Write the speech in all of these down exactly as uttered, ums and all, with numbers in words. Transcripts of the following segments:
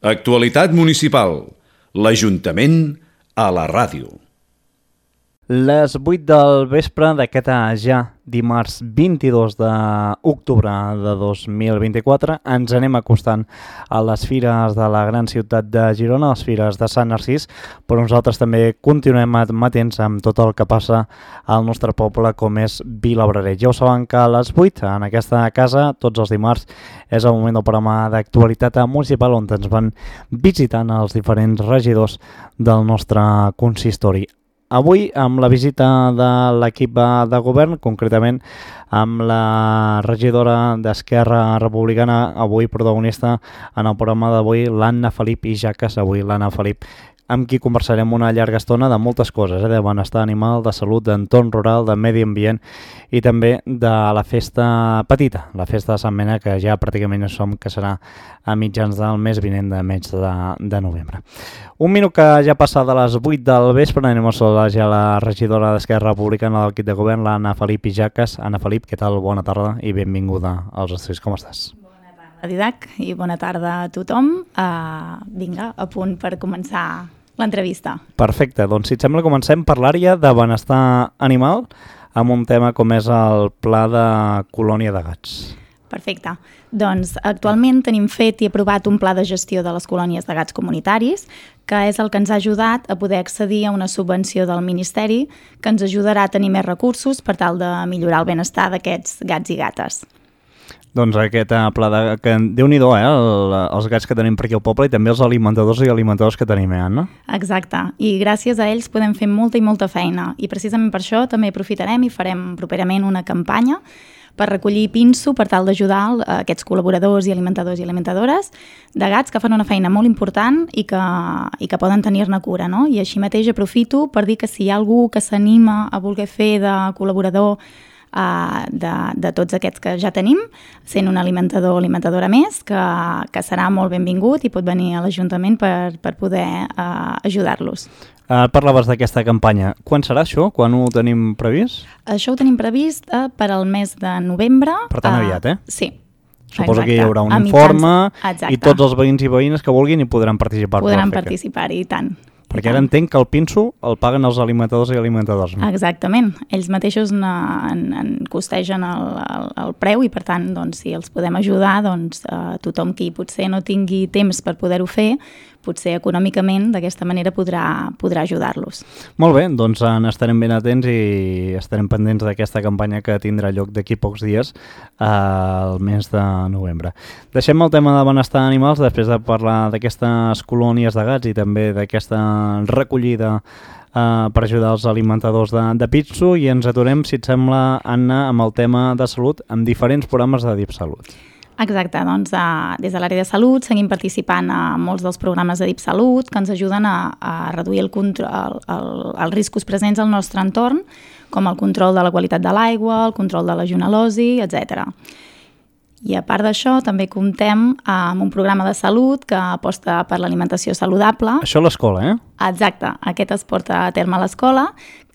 Actualitat municipal. L'Ajuntament a la ràdio. Les vuit del vespre d'aquest ja dimarts vint-i-dos d'octubre de dos mil vint-i-quatre ens anem acostant a les fires de la gran ciutat de Girona, les fires de Sant Narcís, però nosaltres també continuem matents amb tot el que passa al nostre poble com és Vilabraret. Ja ho saben que a les vuit en aquesta casa, tots els dimarts, és el moment del programa d'actualitat municipal on ens van visitant els diferents regidors del nostre consistori. Avui, amb la visita de l'equip de govern, concretament amb la regidora d'Esquerra Republicana, avui protagonista en el programa d'avui, l'Anna Felip i Jaques, avui l'Anna Felip, amb qui conversarem una llarga estona de moltes coses, eh? de benestar animal, de salut, d'entorn rural, de medi ambient i també de la festa petita, la festa de Sant Mena, que ja pràcticament som, que serà a mitjans del mes vinent, de mes de, de novembre. Un minut que ja passa de les vuit del vespre, anem a saludar ja la regidora d'Esquerra Republicana del l'equip de govern, l'Anna Felip i Jaques. Anna Felip, què tal? Bona tarda i benvinguda als estudis. Com estàs? Didac, i bona tarda a tothom. Uh, vinga, a punt per començar l'entrevista. Perfecte, doncs si et sembla comencem per l'àrea de benestar animal amb un tema com és el pla de colònia de gats. Perfecte. Doncs actualment tenim fet i aprovat un pla de gestió de les colònies de gats comunitaris, que és el que ens ha ajudat a poder accedir a una subvenció del Ministeri que ens ajudarà a tenir més recursos per tal de millorar el benestar d'aquests gats i gates. Doncs aquest pla de... que Déu-n'hi-do, eh? El, els gats que tenim per aquí al poble i també els alimentadors i alimentadors que tenim, eh, Anna? Exacte, i gràcies a ells podem fer molta i molta feina, i precisament per això també aprofitarem i farem properament una campanya per recollir pinso per tal d'ajudar aquests col·laboradors i alimentadors i alimentadores de gats que fan una feina molt important i que, i que poden tenir-ne cura, no? I així mateix aprofito per dir que si hi ha algú que s'anima a voler fer de col·laborador Uh, de, de tots aquests que ja tenim, sent un alimentador o alimentadora més, que, que serà molt benvingut i pot venir a l'Ajuntament per, per poder uh, ajudar-los. Uh, parlaves d'aquesta campanya. Quan serà això? Quan ho tenim previst? Això ho tenim previst uh, per al mes de novembre. Per tant, uh, aviat, eh? Sí. Suposo Exacte. Que hi haurà un a informe mitjans... i tots els veïns i veïnes que vulguin hi podran participar. Podran participar-hi, i tant. Perquè ara entenc que el pinso el paguen els alimentadors i alimentadors. No? Exactament. Ells mateixos en, en, en costegen el, el, el preu i, per tant, doncs, si els podem ajudar, doncs, eh, tothom qui potser no tingui temps per poder-ho fer, potser econòmicament d'aquesta manera podrà, podrà ajudar-los. Molt bé, doncs en estarem ben atents i estarem pendents d'aquesta campanya que tindrà lloc d'aquí pocs dies eh, al mes de novembre. Deixem el tema de benestar animals després de parlar d'aquestes colònies de gats i també d'aquesta recollida eh, per ajudar els alimentadors de, de Pitsu, i ens aturem, si et sembla, Anna, amb el tema de salut, amb diferents programes de DipSalut. Exacte, doncs uh, des de l'àrea de salut seguim participant a molts dels programes de DipSalut que ens ajuden a, a reduir el control, el, el, els riscos presents al nostre entorn, com el control de la qualitat de l'aigua, el control de legionel·losi, etcètera. I a part d'això també comptem amb un programa de salut que aposta per l'alimentació saludable. Això a l'escola, eh? Exacte, aquest es porta a terme a l'escola,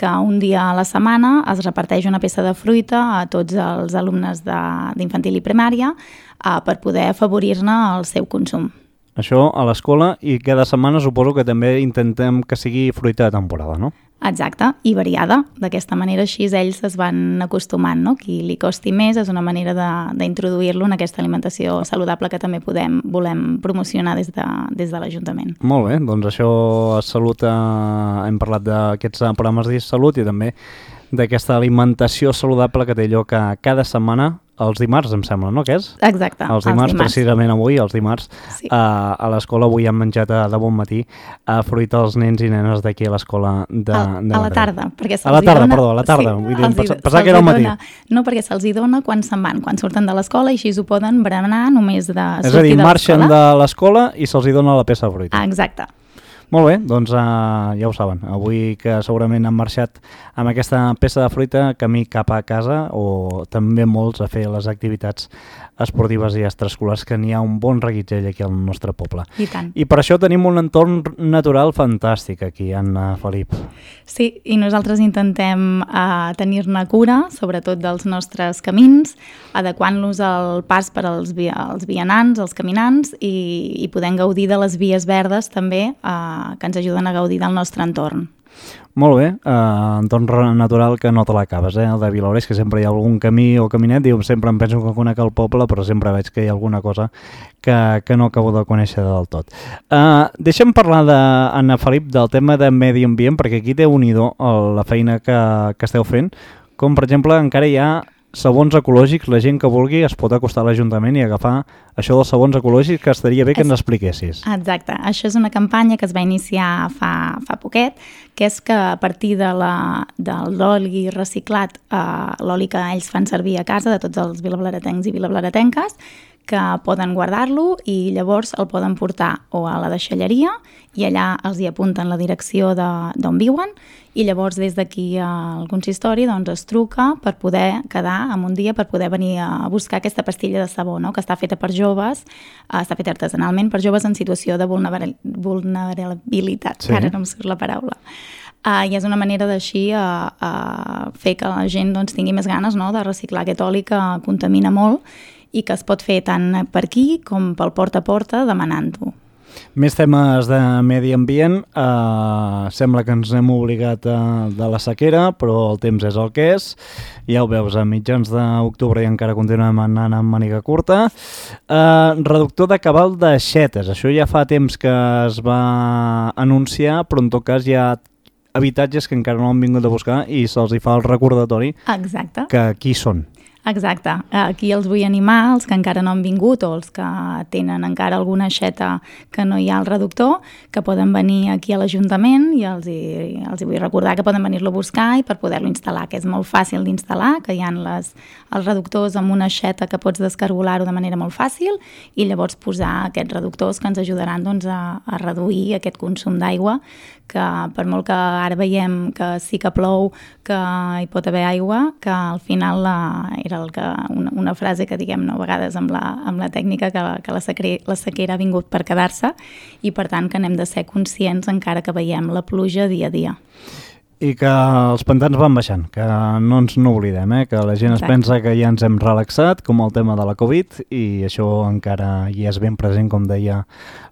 que un dia a la setmana es reparteix una peça de fruita a tots els alumnes d'infantil i primària eh, per poder afavorir-ne el seu consum. Això a l'escola, i cada setmana suposo que també intentem que sigui fruita de temporada, no? Exacte, i variada. D'aquesta manera així ells es van acostumant, no? Qui li costi més és una manera d'introduir-lo en aquesta alimentació saludable que també podem, volem promocionar des de, des de l'Ajuntament. Molt bé, doncs això a Salut, eh, hem parlat d'aquests programes de salut i també d'aquesta alimentació saludable que té lloc cada setmana, els dimarts, em sembla, no? Què és? Exacte, els dimarts. Els dimarts, precisament avui, els dimarts, sí. a, a l'escola avui hem menjat a, de bon matí a fruita als nens i nenes d'aquí a l'escola de, a, de a la tarda, perquè se'ls A la tarda, dona... perdó, a la tarda. Sí, Vull dir, pensava, pensava que era al matí. Dona... No, perquè se'ls hi dona quan se'n van, quan surten de l'escola, i així ho poden berenar només de sortir de l'escola. És a dir, marxen de l'escola i se'ls hi dona la peça de fruita. Ah, exacte. Molt bé, doncs uh, ja ho saben, avui que segurament han marxat amb aquesta peça de fruita camí cap a casa, o també molts a fer les activitats esportives i extraescolars, que n'hi ha un bon reguitzell aquí al nostre poble. I tant. I per això tenim un entorn natural fantàstic aquí, Anna Felip. Sí, i nosaltres intentem uh, tenir-ne cura, sobretot dels nostres camins, adequant-los al pas per als, vi als vianants, als caminants, i, i podent gaudir de les vies verdes també, uh, que ens ajuden a gaudir del nostre entorn. Molt bé, uh, entorn natural que no te l'acabes, eh? El de Vilablareix, que sempre hi ha algun camí o caminet, diu, sempre em penso que conec el poble, però sempre veig que hi ha alguna cosa que, que no acabo de conèixer del tot. Uh, deixa'm parlar, de, Anna Felip, del tema de medi ambient, perquè aquí déu-n'hi-do la feina que, que esteu fent, com per exemple encara hi ha sabons ecològics. La gent que vulgui es pot acostar a l'Ajuntament i agafar això dels sabons ecològics, que estaria bé que ens expliquessis. Exacte, això és una campanya que es va iniciar fa, fa poquet, que és que a partir de l'oli reciclat, eh, l'oli que ells fan servir a casa, de tots els vilablaretencs i vilablaretenques, que poden guardar-lo i llavors el poden portar o a la deixalleria i allà els hi apunten la direcció d'on viuen, i llavors des d'aquí al consistori doncs, es truca per poder quedar en un dia per poder venir a buscar aquesta pastilla de sabó, no? Que està feta per joves, eh, està feta artesanalment per joves en situació de vulnerabilitat, sí. Ara no em surt la paraula. Uh, I és una manera d'així uh, uh, fer que la gent doncs, tingui més ganes, no? De reciclar aquest oli que contamina molt i que es pot fer tant per aquí com pel porta a porta demanant-ho. Més temes de medi ambient. Uh, sembla que ens hem obligat uh, de la sequera, però el temps és el que és. Ja ho veus, a mitjans d'octubre i encara continuem anant amb màniga curta. Uh, reductor de cabal d'aixetes. Això ja fa temps que es va anunciar, però en tot cas hi ha habitatges que encara no han vingut a buscar i se'ls hi fa el recordatori. Exacte. Que aquí són. Exacte. Aquí els vull animar, els que encara no han vingut o els que tenen encara alguna aixeta que no hi ha al reductor, que poden venir aquí a l'Ajuntament i els hi, els hi vull recordar que poden venir-lo a buscar i per poder-lo instal·lar, que és molt fàcil d'instal·lar, que hi ha les, els reductors amb una aixeta que pots descargolar-ho de manera molt fàcil i llavors posar aquests reductors que ens ajudaran doncs, a, a reduir aquest consum d'aigua, que per molt que ara veiem que sí que plou, que hi pot haver aigua, que al final la, era el que, una, una frase que diguem no, a vegades amb la, amb la tècnica que, que la, sequera, la sequera ha vingut per quedar-se i per tant que n'hem de ser conscients encara que veiem la pluja dia a dia. I que els pantans van baixant, que no ens n'oblidem, eh? Que la gent Exacte. Es pensa que ja ens hem relaxat, com el tema de la Covid, i això encara hi és ben present, com deia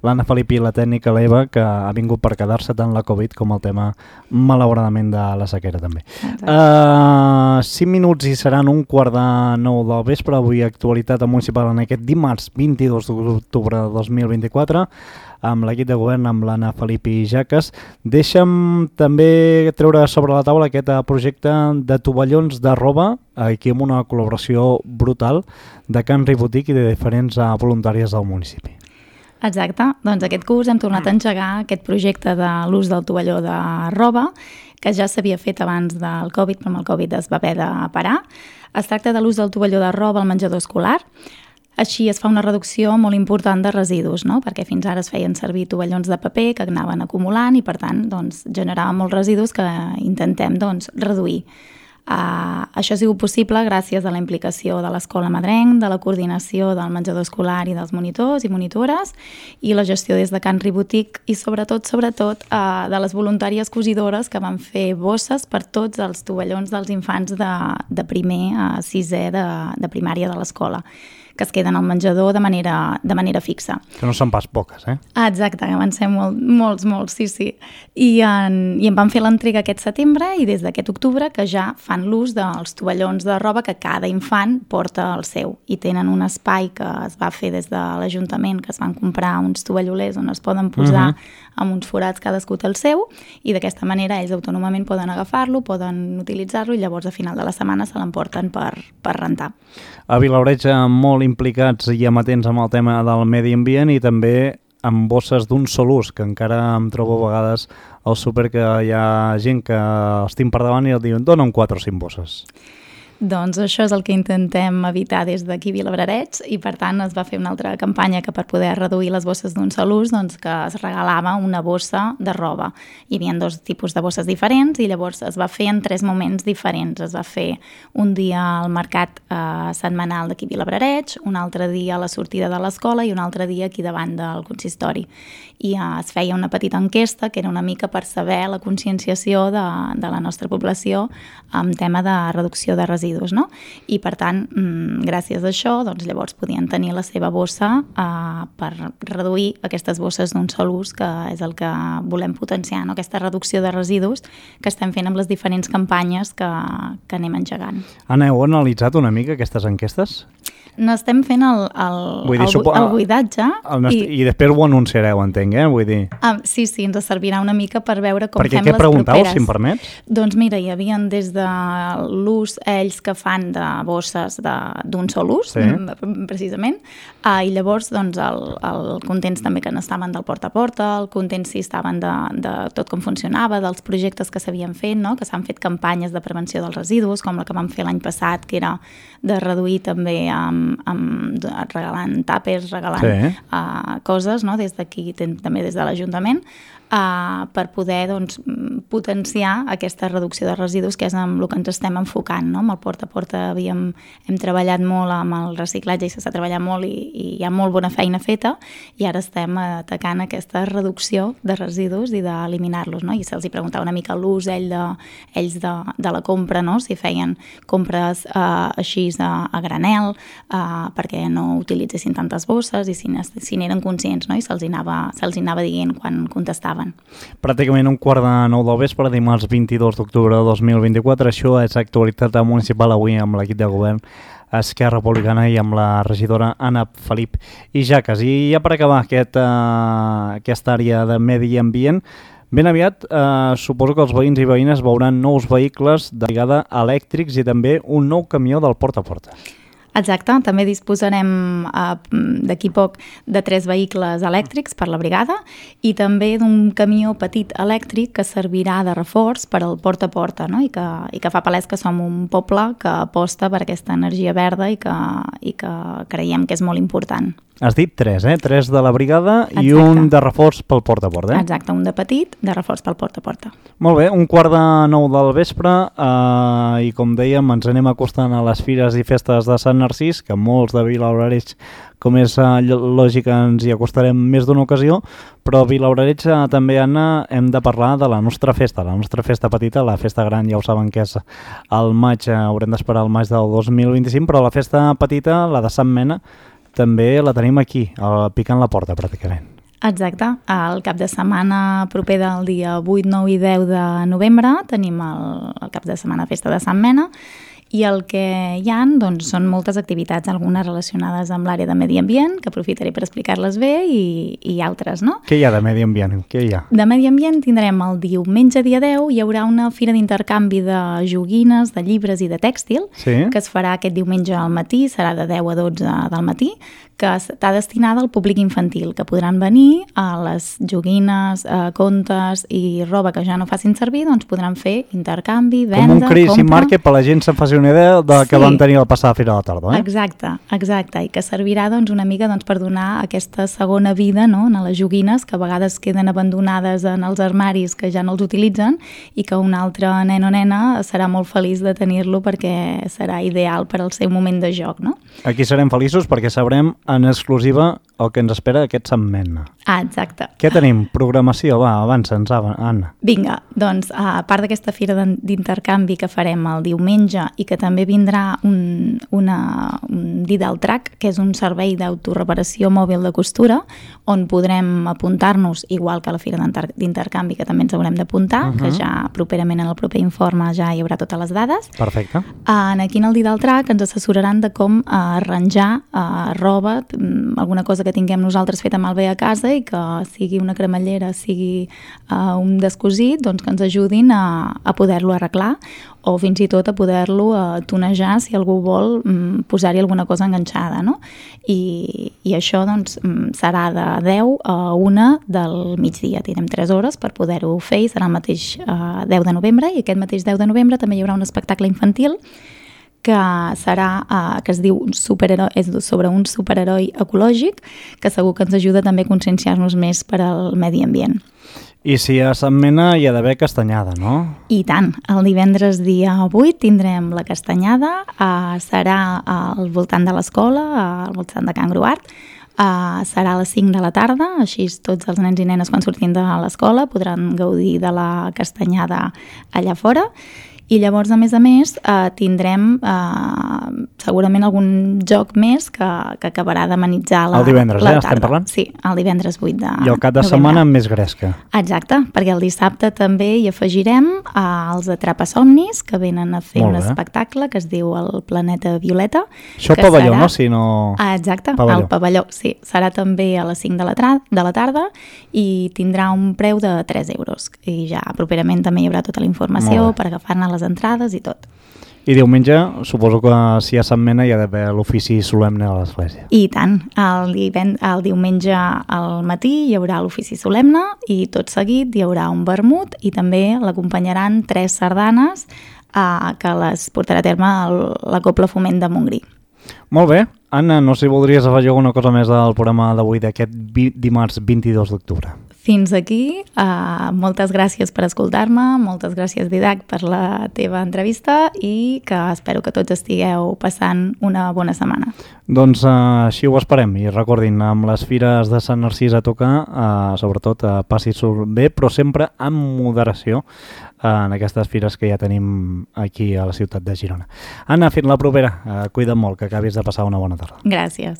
l'Anna Felip i la tècnica l'Eva, que ha vingut per quedar-se tant la Covid com el tema, malauradament, de la sequera també. Uh, cinc minuts i seran un quart de nou del vespre, avui actualitat municipal en aquest dimarts vint-i-dos d'octubre de dos mil vint-i-quatre, amb l'equip de govern, amb l'Anna Felip i Jaques. Deixa'm també treure sobre la taula aquest projecte de tovallons de roba, aquí amb una col·laboració brutal de Can Ribotic i de diferents voluntàries del municipi. Exacte, doncs aquest curs hem tornat a engegar aquest projecte de l'ús del tovalló de roba, que ja s'havia fet abans del Covid, però amb el Covid es va haver de parar. Es tracta de l'ús del tovalló de roba al menjador escolar. Així es fa una reducció molt important de residus, no? Perquè fins ara es feien servir tovallons de paper que anaven acumulant i, per tant, doncs, generaven molts residus que intentem doncs, reduir. Uh, això ha sigut possible gràcies a la implicació de l'Escola Madrenc, de la coordinació del menjador escolar i dels monitors i monitores i la gestió des de Can Ribotic i sobretot, sobretot, uh, de les voluntàries cosidores que van fer bosses per tots els tovallons dels infants de, de primer a sisè de, de primària de l'escola, que es queden al menjador de manera, de manera fixa. Que no són pas poques, eh? Ah, exacte, que van ser molt, molts, molts, sí, sí. I en, i en van fer l'entrega aquest setembre i des d'aquest octubre que ja fan l'ús dels tovallons de roba que cada infant porta al seu. I tenen un espai que es va fer des de l'Ajuntament, que es van comprar uns tovallolers on es poden posar uh-huh. amb uns forats cadascú el seu i d'aquesta manera ells autònomament poden agafar-lo, poden utilitzar-lo i llavors a final de la setmana se l'emporten per, per rentar. A Vilablareix molt implicats i amatents amb el tema del medi ambient i també amb bosses d'un sol ús, que encara em trobo a vegades al súper que hi ha gent que els tinc per davant i el diuen dona'm quatre o cinc bosses. Doncs això és el que intentem evitar des d'aquí Vilabrarets i per tant es va fer una altra campanya que per poder reduir les bosses d'un sol ús doncs que es regalava una bossa de roba. Hi havia dos tipus de bosses diferents i llavors es va fer en tres moments diferents. Es va fer un dia al mercat eh, setmanal d'aquí Vilabrarets, un altre dia a la sortida de l'escola i un altre dia aquí davant del consistori. I eh, es feia una petita enquesta que era una mica per saber la conscienciació de, de la nostra població en tema de reducció de residus, no? I per tant, gràcies a això, doncs llavors podien tenir la seva bossa eh, per reduir aquestes bosses d'un sol ús, que és el que volem potenciar, no? Aquesta reducció de residus que estem fent amb les diferents campanyes que, que anem engegant. Anna, heu analitzat una mica aquestes enquestes? N'estem fent el, el, dir, el, supo... el buidatge. El nostre... I... I després ho anunciareu, entenc, eh? Vull dir... Ah, sí, sí, ens servirà una mica per veure com Perquè fem les preguntau, properes. Si em permets? Doncs mira, hi havia des de l'ús ells que fan de bosses d'un sol ús, sí. precisament, ah, i llavors doncs, el, el contents també que n'estaven del porta a porta, el contents si estaven de, de tot com funcionava, dels projectes que s'havien fet, no? Que s'han fet campanyes de prevenció dels residus, com la que vam fer l'any passat, que era de reduir també amb, amb, regalant tàpers, regalant sí. uh, coses, no? Des d'aquí, també des de l'Ajuntament, Uh, per poder doncs, potenciar aquesta reducció de residus, que és amb el que ens estem enfocant, no? Amb el porta a porta havíem, hem treballat molt amb el reciclatge i s'està treballant molt i, i hi ha molt bona feina feta i ara estem atacant aquesta reducció de residus i d'eliminar-los, no? I se'ls hi preguntava una mica l'ús ell de, ells de, de la compra, no? Si feien compres uh, així a, a granel uh, perquè no utilitzessin tantes bosses i si, si n'eren conscients, no? I se'ls hi anava, se'ls hi anava dient quan contestaven. Pràcticament un quart de nou del vespre, dimarts vint-i-dos d'octubre de dos mil vint-i-quatre. Això és actualitat municipal avui amb l'equip de govern Esquerra Republicana i amb la regidora Anna Felip i Jaques. I ja per acabar aquest, uh, aquesta àrea de medi ambient, ben aviat eh, suposo que els veïns i veïnes veuran nous vehicles de brigada elèctrics i també un nou camió del porta a porta. Exacte, també disposarem eh, d'aquí poc de tres vehicles elèctrics per la brigada i també d'un camió petit elèctric que servirà de reforç per al porta a porta, no? I, que, i que fa palès que som un poble que aposta per aquesta energia verda i que, i que creiem que és molt important. Has dit tres, eh? Tres de la brigada i Exacte. Un de reforç pel porta a porta, eh? Exacte, un de petit, de reforç pel porta a porta. Molt bé, un quart de nou del vespre eh, i com dèiem ens anem acostant a les fires i festes de Sant Narcís, que molts de Vilabrarets, com és eh, lògic, ens hi acostarem més d'una ocasió, però a Vilabrarets eh, també, Anna, hem de parlar de la nostra festa, la nostra festa petita, la festa gran ja ho saben que és al maig, eh, haurem d'esperar el maig del dos mil vint-i-cinc, però la festa petita, la de Sant Mena, també la tenim aquí, picant la porta pràcticament. Exacte, el cap de setmana proper del dia vuit, nou i deu de novembre tenim el, el cap de setmana festa de Sant Mena i el que hi ha doncs, són moltes activitats, algunes relacionades amb l'àrea de medi ambient, que aprofitaré per explicar-les bé, i, i altres, no? Què hi ha de medi ambient? Què hi ha? De medi ambient tindrem el diumenge dia deu, hi haurà una fira d'intercanvi de joguines, de llibres i de tèxtil, sí. que es farà aquest diumenge al matí, serà de deu a dotze del matí, que està destinada al públic infantil, que podran venir a les joguines, a contes i roba que ja no facin servir, doncs podran fer intercanvi, venda, compra. Com un Crazy compra. Market, per la gent se'n faci una idea de sí. que vam tenir la passada fira a la tarda. Eh? Exacte, exacte, i que servirà doncs, una mica doncs, per donar aquesta segona vida, no?, a les joguines, que a vegades queden abandonades en els armaris que ja no els utilitzen i que un altre nen o nena serà molt feliç de tenir-lo perquè serà ideal per al seu moment de joc. No? Aquí serem feliços perquè sabrem en exclusiva el que ens espera aquest Sant Mena. Ah, exacte. Què tenim? Programació, va, avança'ns, Anna. Vinga, doncs, a part d'aquesta fira d'intercanvi que farem el diumenge i que també vindrà un, una, un Didal Track, que és un servei d'autoreparació mòbil de costura, on podrem apuntar-nos, igual que a la fira d'intercanvi, que també ens haurem d'apuntar, uh-huh. que ja properament en el proper informe ja hi haurà totes les dades. Perfecte. En, aquí en el Didal Track ens assessoraran de com arranjar uh, roba, alguna cosa que tinguem nosaltres feta malbé a casa i que sigui una cremallera, sigui uh, un descosit, doncs que ens ajudin a, a poder-lo arreglar o fins i tot a poder-lo uh, tonejar si algú vol um, posar-hi alguna cosa enganxada, no? I, i això doncs, um, serà de deu a una del migdia. Tindrem tres hores per poder-ho fer i serà el mateix uh, deu de novembre, i aquest mateix deu de novembre també hi haurà un espectacle infantil que serà, uh, que es diu superheroi, és sobre un superheroi ecològic, que segur que ens ajuda també a conscienciar-nos més per al medi ambient. I si a Sant Mena hi ha d'haver castanyada, no? I tant. El divendres dia vuit tindrem la castanyada, uh, serà al voltant de l'escola, al voltant de Can Gruart, uh, serà a les cinc de la tarda, així tots els nens i nenes quan surtin de l'escola podran gaudir de la castanyada allà fora. I llavors, a més a més, eh, tindrem eh, segurament algun joc més que, que acabarà d'amenitzar la, el divendres, la eh, tarda. estem parlant? Sí, el divendres vuit de novembre. I el cap de setmana amb més gresca. Exacte, perquè el dissabte també hi afegirem eh, els Atrapasomnis, que venen a fer Molt un bé. espectacle que es diu el Planeta Violeta. Això que pavelló, serà... no? Si no... Ah, exacte, pavelló. el pavelló, sí. Serà també a les cinc de la, tra... de la tarda i tindrà un preu de tres euros. I ja properament també hi haurà tota la informació per agafar-ne les entrades i tot. I diumenge, suposo que si hi ha Sant Mena hi ha d'haver l'ofici solemne a l'església. I tant. El, divend... el diumenge al matí hi haurà l'ofici solemne i tot seguit hi haurà un vermut i també l'acompanyaran tres sardanes eh, que les portarà a terme el, la Cobla Foment de Montgrí. Molt bé. Anna, no sé si voldries afegir alguna cosa més del programa d'avui d'aquest dimarts vint-i-dos d'octubre. Fins aquí. Uh, moltes gràcies per escoltar-me, moltes gràcies, Didac, per la teva entrevista i que espero que tots estigueu passant una bona setmana. Doncs uh, així ho esperem i recordin, amb les fires de Sant Narcís a tocar, uh, sobretot uh, passi-s'ho bé, però sempre amb moderació uh, en aquestes fires que ja tenim aquí a la ciutat de Girona. Anna, fins la propera. Uh, cuida't molt, que acabis de passar una bona tarda. Gràcies.